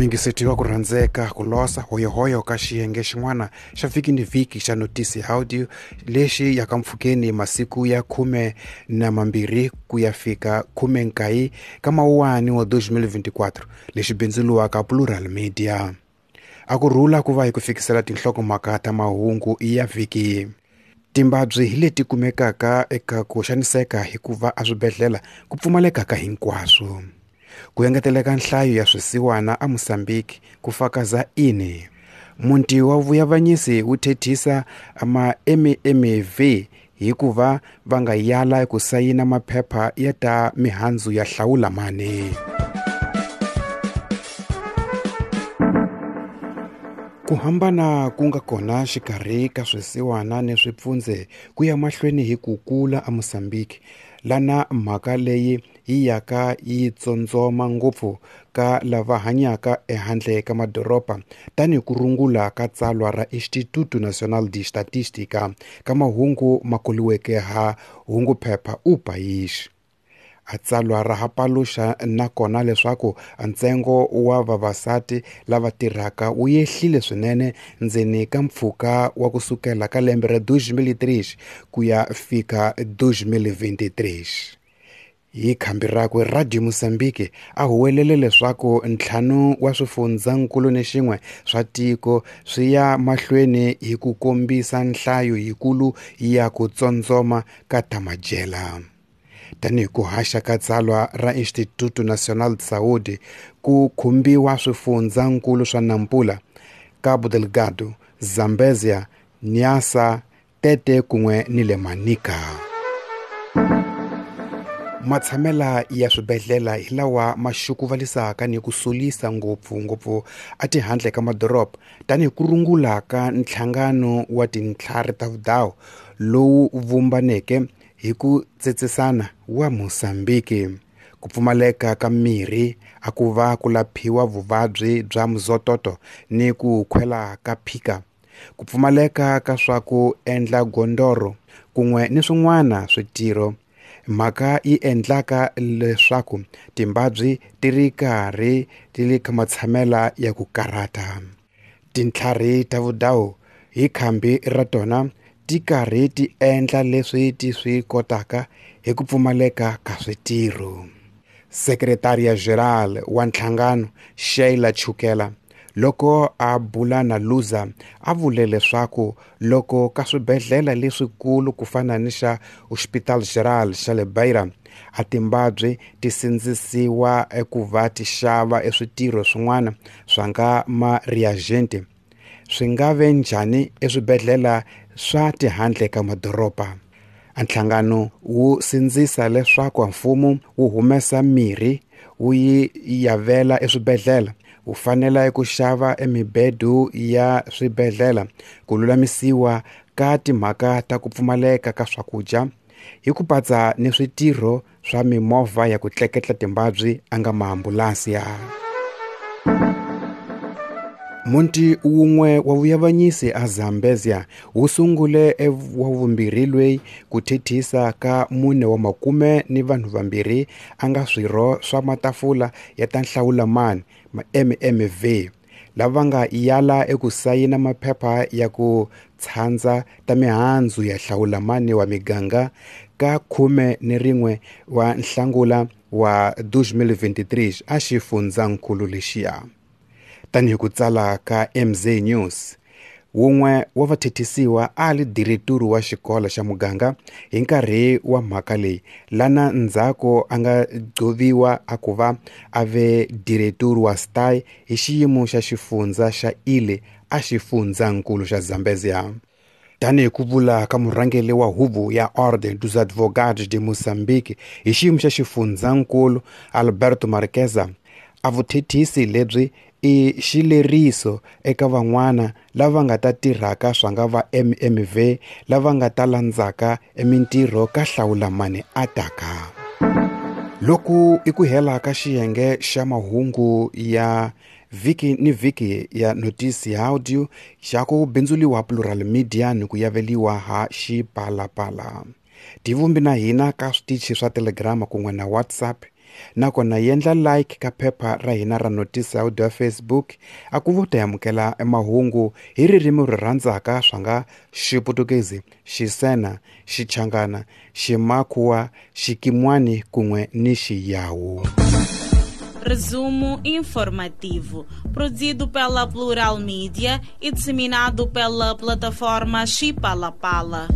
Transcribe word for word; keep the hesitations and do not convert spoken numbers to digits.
Muyingiseti wa ku rhandzeka ku losa hoyohoyo ka xiyenge xin'wana xa vhiki ni vhiki xa Notisi Audio lexi yaka mpfhukeni masiku ya khume na mambirhi ku ya fika khume nkaye ka mawuwani wa twenty twenty-four lexi bindzuriwaka Plural Media. A ku rhula ku va hi ku fikisela tinhlokomhaka ta mahungu ya vhiki. Timbabyi hi leti kumekaka eka ku xaniseka hikuva eswibedhlele ku pfumaleka ka hinkwaswo. Ku engeteleka nhlayo ya swisiwana a Mozambique ku fakaza ini. Muti wa vuyavanyisi wu thethisa ma M M V hikuva va nga yala ku sayina maphepha ya ta mihandzu ya hlawula mani. Ku hambana ku nga kona xikarhi ka swisiwana ni swipfundze ku ya mahlweni hi ku kula a Mozambique lana mhaka leyi yi yaka yi tsondzoma ngopfu ka lava hanyaka ehandle ka madoroba tanihi ku rungula ka tsalwa ra Instituto Nacional de Estatística ka mahungu ma koliweke ha hunguphepha O País. A tsalwa ra ha paluxa nakona leswaku ntsengo wa vavasati lava tirhaka wu yehlile swinene ndzeni ka mpfhuka wa kusukela ka lembe ra two thousand three ku ya fika two thousand twenty-three. Hi khambi rakwe Radio Mozambique a huwelele leswaku ntlhanu wa swifundzankulu ni xin'we swa tiko swi ya mahlweni hi ku kombisa nhlayo yikulu ya ku tsondzoma ka ta madyela. Tanihi ku haxa ka tsalwa ra Instituto Nacional de Saúde ku khumbiwa swifundzankulu swa Nampula, Cabo Delgado, Zambezia, Niassa, Tete kun'we ni le Manica. Matshamela ya swibedhlele hi lawa ma xukuvalisaka ni ku solisa ngopfu ngopfu a tihandle ka madoroba tanihi ku rungula ka nhlangano wa tintlhari ta vudawu lowu vumbaneke hi ku tsetsesana wa Mozambique. Ku pfumaleka ka mirhi a ku va ku laphiwa vuvabyi bya muzototo ni ku khwela ka phika, ku pfumaleka ka swa ku endla gondoro kun'we ni swin'wana switirho, mhaka yi endlaka leswaku timbabyi ti ri karhi ti le ka matshamela ya ku karhata. Tintlhari ta vudawu hi khambi ra tona ti karhi ti endla leswi ti swi kotaka hi ku pfumaleka ka switirho. Secretaria Geral wa nhlangano Sheila Chukela loko a bula na Luza a vule leswaku loko ka swibedhlele leswikulu ku fana ni xa Hospital Geral xa le Beira a timbabyi ti sindzisiwa eku va ti xava eswitirho swin'wana swa nga ma reagent swi nga ve njhani eswibedhlele swa tihandle ka madoroba. Nhlangano wu sindzisa leswaku mfumo wu humesa mirhi wu yi yavela eswibedhlele, wu fanele ku xava emibedo ya swibedhlele, ku lulamisiwa ka timhaka ta ku pfumaleka ka swakudya hi ku patsa ni switirho swa mimovha ya ku tleketla timbabyi a nga maambulansi ya. Munti wun'we wa vuyavanyisi a Zambezia wu sungule wa vumbirhi lweyi ku thethisa ka mune wa makume ni vanhu vambirhi a nga swirho swa matafula ya ta nhlawulamani ma M M V lava nga yala eku sayina maphepha ya ku tshandza ta mihandzu ya hlawulamani wa miganga ka khume ni rin'we wa nhlangula wa twenty twenty-three a xifundzankulu lexiya. Tanihi ku tsala ka M Z News, wun'we wa vathethisiwa a li direturu wa xikolo xa muganga hi nkarhi wa mhaka leyi lana ndzhaku a nga gcoviwa a ku va a ve direturu wa S T A I hi xiyimo xa xifundza xa Ile a xifundzankulu xa Zambezia. Tanihi ku vula ka murhangeri wa huvo ya Ordem dos Advogados de Moçambique hi xiyimo xa xifundzankulu Alberto Marqueza, a vuthethisi lebyi i xileriso eka van'wana lava nga ta tirhaka swa nga va M M V lava nga ta landzaka emintirho ka hlawulamani a taka. Loko i ku hela ka xiyenge xa mahungu ya vhiki ni vhiki ya Notisi Audio xa ku bindzuliwa Plural Media ni ku yaveliwa ha Xipalapala. Tivumbi na hina ka switichi swa Telegram kun'we na WhatsApp Nakona yendla like ka phepha ra hina ra Notice Audio ya Facebook a ku vo ta amukela mahungu hi ririmi ri rhandzaka swa nga Xiputukezi, Xisena, Xichangana, Ximakhuwa, Xikimwani kun'we ni Xiyawu. Resumo informativo, produzido pela Plural Mídia e disseminado pela plataforma Xipalapala.